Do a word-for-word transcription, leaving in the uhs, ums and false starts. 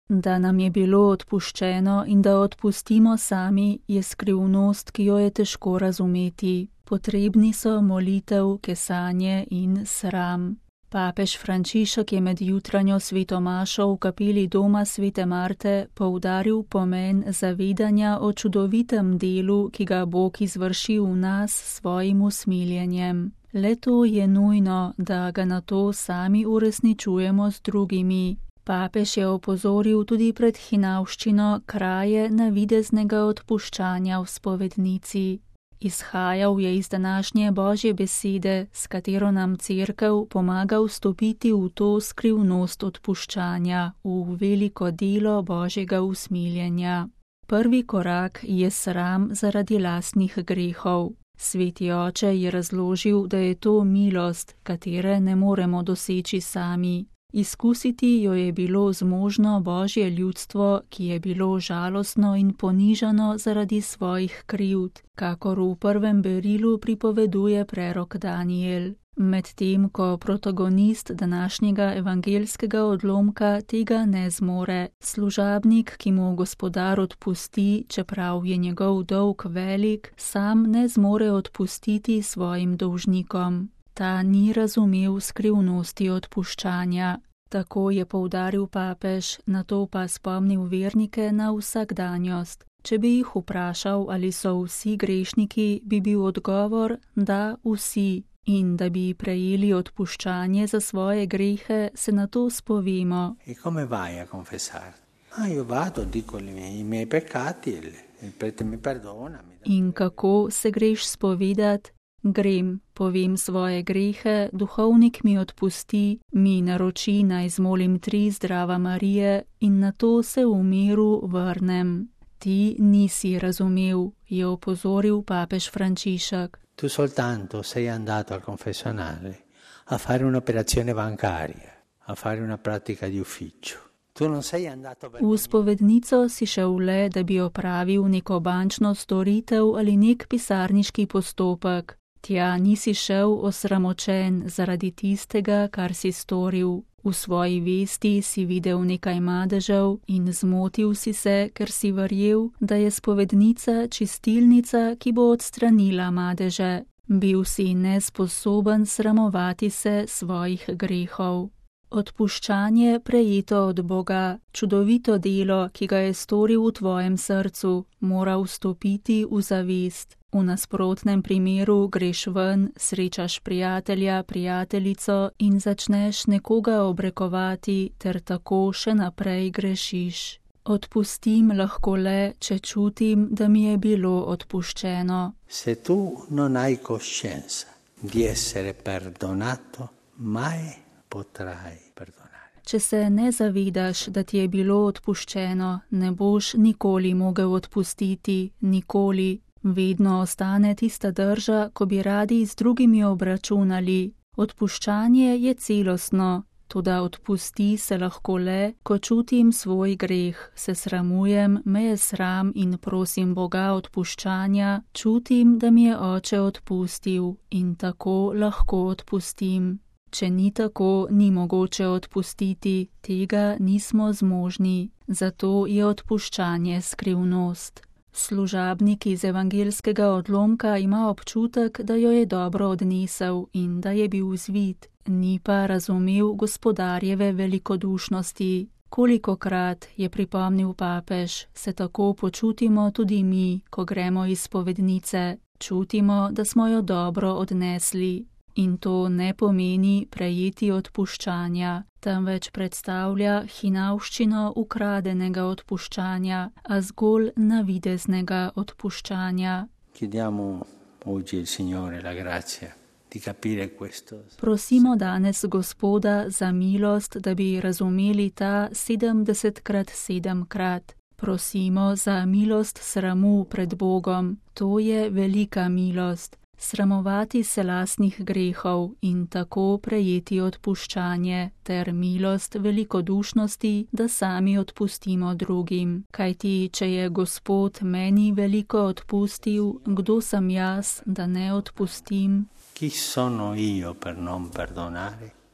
Da nam je bilo odpuščeno in da odpustimo sami, je skrivnost, ki jo je težko razumeti. Potrebni so molitev, kesanje in sram. Papež Frančišek je med jutranjo sveto mašo v kapeli doma svete Marte poudaril pomen zavedanja o čudovitem delu, ki ga Bog izvrši v nas s svojim usmiljenjem. Le to je nujno, da ga nato sami uresničujemo z drugimi. Papež je opozoril tudi pred hinavščino kraje navideznega odpuščanja v spovednici. Izhajal je iz današnje Božje besede, s katero nam Cerkev pomaga vstopiti v to skrivnost odpuščanja, v veliko delo Božjega usmiljenja. Prvi korak je sram zaradi lastnih grehov. Sveti oče je razložil, da je to milost, katere ne moremo doseči sami. Izkusiti jo je bilo zmožno Božje ljudstvo, ki je bilo žalostno in ponižano zaradi svojih krivd, kakor v prvem berilu pripoveduje prerok Daniel. Medtem ko protagonist današnjega evangelskega odlomka tega ne zmore, služabnik, ki mu gospodar odpusti, čeprav je njegov dolg velik, sam ne zmore odpustiti svojim dolžnikom. Ta ni razumel skrivnosti odpuščanja. Tako je poudaril papež, nato pa spomnil vernike na vsakdanjost. Če bi jih vprašal, ali so vsi grešniki, bi bil odgovor, da vsi. In da bi prejeli odpuščanje za svoje grehe, se nato spovemo. E come vai a confessare? Ah, io vado, dico i miei peccati, il prete mi perdona. In kako se greš spovedat? Grem, povem svoje grehe, duhovnik mi odpusti, mi naroči naj zmolim tri zdrava Marije in nato se v miru vrnem. Ti nisi razumel, je opozoril papež Frančišek. Tu soltanto sei andato al confessionale a fare un'operazione bancaria, a fare una pratica di ufficio. Tu non sei andato per... V spovednico si šel le, da bi opravil neko bančno storitev ali nek pisarniški postopek. Tja nisi šel osramočen zaradi tistega, kar si storil. V svoji vesti si videl nekaj madežev in zmotil si se, ker si verjel, da je spovednica čistilnica, ki bo odstranila madeže. Bil si nesposoben sramovati se svojih grehov. Odpuščanje prejeto od Boga, čudovito delo, ki ga je storil v tvojem srcu, mora vstopiti v zavest. V nasprotnem primeru greš ven, srečaš prijatelja, prijateljico in začneš nekoga obrekovati ter tako še naprej grešiš. Odpustim lahko le, če čutim, da mi je bilo odpuščeno. Se tu non hai coscienza di essere perdonato, mai potrai perdonare. Če se ne zavedaš, da ti je bilo odpuščeno, ne boš nikoli mogel odpustiti, nikoli. Vedno ostane tista drža, ko bi radi z drugimi obračunali. Odpuščanje je celostno, toda odpusti se lahko le, ko čutim svoj greh, se sramujem, me je sram in prosim Boga odpuščanja, čutim, da mi je oče odpustil in tako lahko odpustim. Če ni tako, ni mogoče odpustiti, tega nismo zmožni, zato je odpuščanje skrivnost. Služabnik iz evangelskega odlomka ima občutek, da jo je dobro odnesel in da je bil zvit, ni pa razumel gospodarjeve velikodušnosti. Kolikokrat, je pripomnil papež, se tako počutimo tudi mi, ko gremo iz spovednice. Čutimo, da smo jo dobro odnesli. In to ne pomeni prejeti odpuščanja, temveč predstavlja hinavščino ukradenega odpuščanja, a zgolj navideznega odpuščanja. Chiediamo oggi il Signore la grazia di capire questo. Prosimo danes Gospoda za milost, da bi razumeli ta sedemdesetkrat sedemkrat. Prosimo za milost sramu pred Bogom, to je velika milost. Sramovati se lastnih grehov in tako prejeti odpuščanje ter milost velikodušnosti, da sami odpustimo drugim. Kajti, če je Gospod meni veliko odpustil, kdo sem jaz, da ne odpustim? Chi sono io per non perdonare?